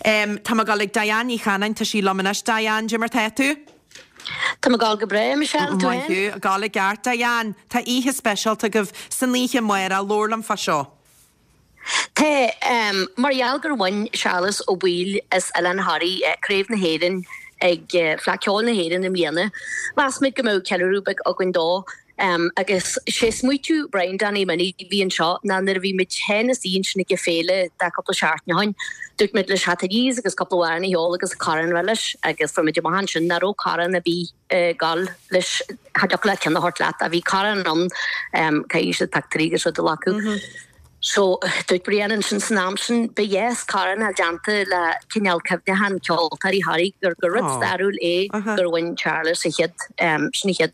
Tá mé ag dul ag Diane Ní Chanainn, tá sí liom anois. Diane, dé mar tá tú? Tá mé ag gabháil go breá, Michelle, tú Maith féin? thú, ag gabháil i gceart. Diane, tá oíche speisialta agaibh san oíche amárach, labhair liom fá seo. Tá, mar gheall gur bhain Séarlas Ó Baoill as Oileán Thoraí Craobh na hÉireann ag Fleadh Cheoil na hÉireann i mbliana, mheas muid go mbeadh ceiliúradh beag againn dó. Agus sé smaoitiú Brian Danny Minnie a bhí anseo ná nuair a bhí muid féin istigh ansin ag an féile de cúpla seachtain ó shin, dúirt muid leis theacht aníos agus cúpla amhrán a cheol agus corn a bheith leis agus fuair muid amach ansin nach raibh corn ar bith ag gabháil leis, cha dtiocfadh leat ceann a thabhairt leat ach bhí corn ann, caithfidh siad pictiúirí agus rud a ghlacadh. So, dúirt Brian ansin san am sin, ba dheas corn a fháil déanta le cineál cuimhneachán ceoltóirí Thoraí gur gur rud stairiúil é gur bhain Séarlas an chéad, sin an chéad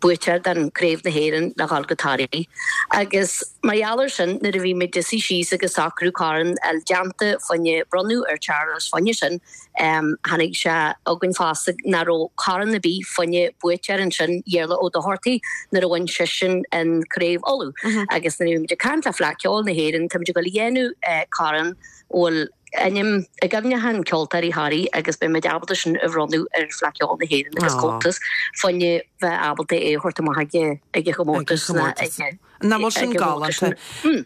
buaiteoir den Craobh na hÉireann le dhul go Toraigh. Agus mar gheall ar sin, nuair a bhí muid ag suí síos agus socrú corn a fháil déanta fá choinne bronnadh ar Charles fá choinne sin, Tháinig sé chugainn fosta nach raibh corn ar bith fá choinne buaiteoir ansin, Iarla Ó Dochartaigh, nuair a bhain seisean an Craobh Uladh. Agus nuair a bhí muid ag caint le Fleadh Cheoil na hÉireann, tá muid ag dul a dhéanamh corn a bhfuil ainm i gcuimhneachán ceoltóirí Thoraí agus beidh muid ábalta sin a bhronnadh ar Fleadh Cheoil na hÉireann agus Comhaltas fá choinne bheith ábalta é a thabhairt amach ag an chomórtas ag Nach bhfuil sin galánta?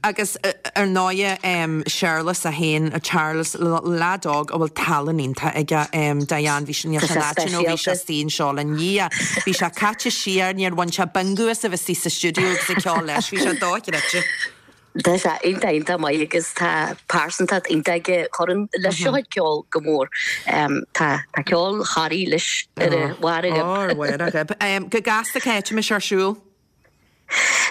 Agus ar ndóighe Séarlas é féin, Charles, leaid óg a bhfuil tallann iontach aige, Diane, bhí sé, níl sé in áit nó bhí sé istigh anseo linn, yeah, bhí sé caite siar, níor bhain sé bingo as a bheith istigh sa stiúideo agus ag ceol leis, bhí sé dochreidte. Tá sé iontach iontach maith agus tá pearsantacht iontach aige, cuireann leis a chuid ceoil go mór. Tá tá ceol Thoraí leis ar a bharr a ghoib. Ar bharr a ghoib. Go gasta cá háit a mbeidh sé ar siúl?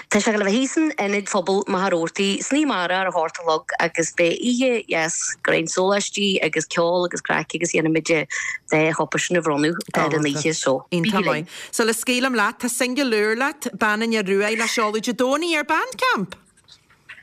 Tá sé ag dul a bheith thíos in Ionad Phobail Machaire Rabhartaigh san oíche amárach ar a hocht a chlog agus beidh oíche dheas roinnt sóláistí agus ceol agus craic agus dhéanfaimid an dá chupa sin a bhronnadh ar an oíche so bígí linn. Sula scaoilim leat, tá singil úr leat, Bean an Fhir Ruaidh, le seoladh Dé Domhnaigh ar Bandcamp!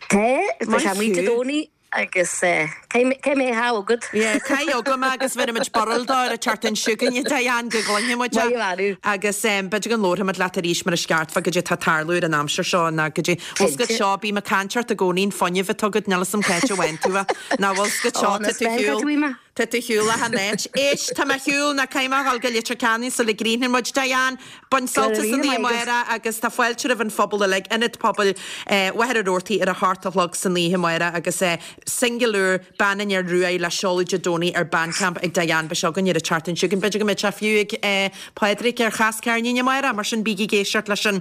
Tá, tá sé amuigh Dé Domhnaigh. Agus caithfidh mé a agat. Yeah, caith agam é agus bhéarfaimid barúil dó ar an tseachtain seo chugainn, Diane, go gcluinfidh muid é. Maith thú. Agus b'fhéidir go nglóirfimid leat arís mar is ceart fá goidé atá ag tarlú ar an aimsir seo ná goidé. Bhfuil 's agat seo, bím ag caint ort i gcónaí an fuinneamh atá agat, níl 'fhios a'm cá háit a bhfaigheann tú é. Ná bhfuil 's agat seo, tá tú shiúl, tá tú shiúl achan áit. Éist, tá mé shiúl, ná caithfidh mé a dhul go Leitir Ceanainn sula gcríochnaíonn muid, Diane. Bain sult as an oíche amárach agus tá fáilte roimh an phobal uilig, Ionad Pobail Mhachaire Rabhartaigh ar a hocht a chlog san oíche amárach agus singil úr Bean an Fhir Ruaidh le seoladh Dé Domhnaigh ar Bandcamp ag Diane. Beidh sé againn ar an tseachtain seo chugainn. B'fhéidir go mbeidh sé fiú ag Pádraig ar Chas Ceirnín amárach, mar sin bígí ag éisteacht leis an.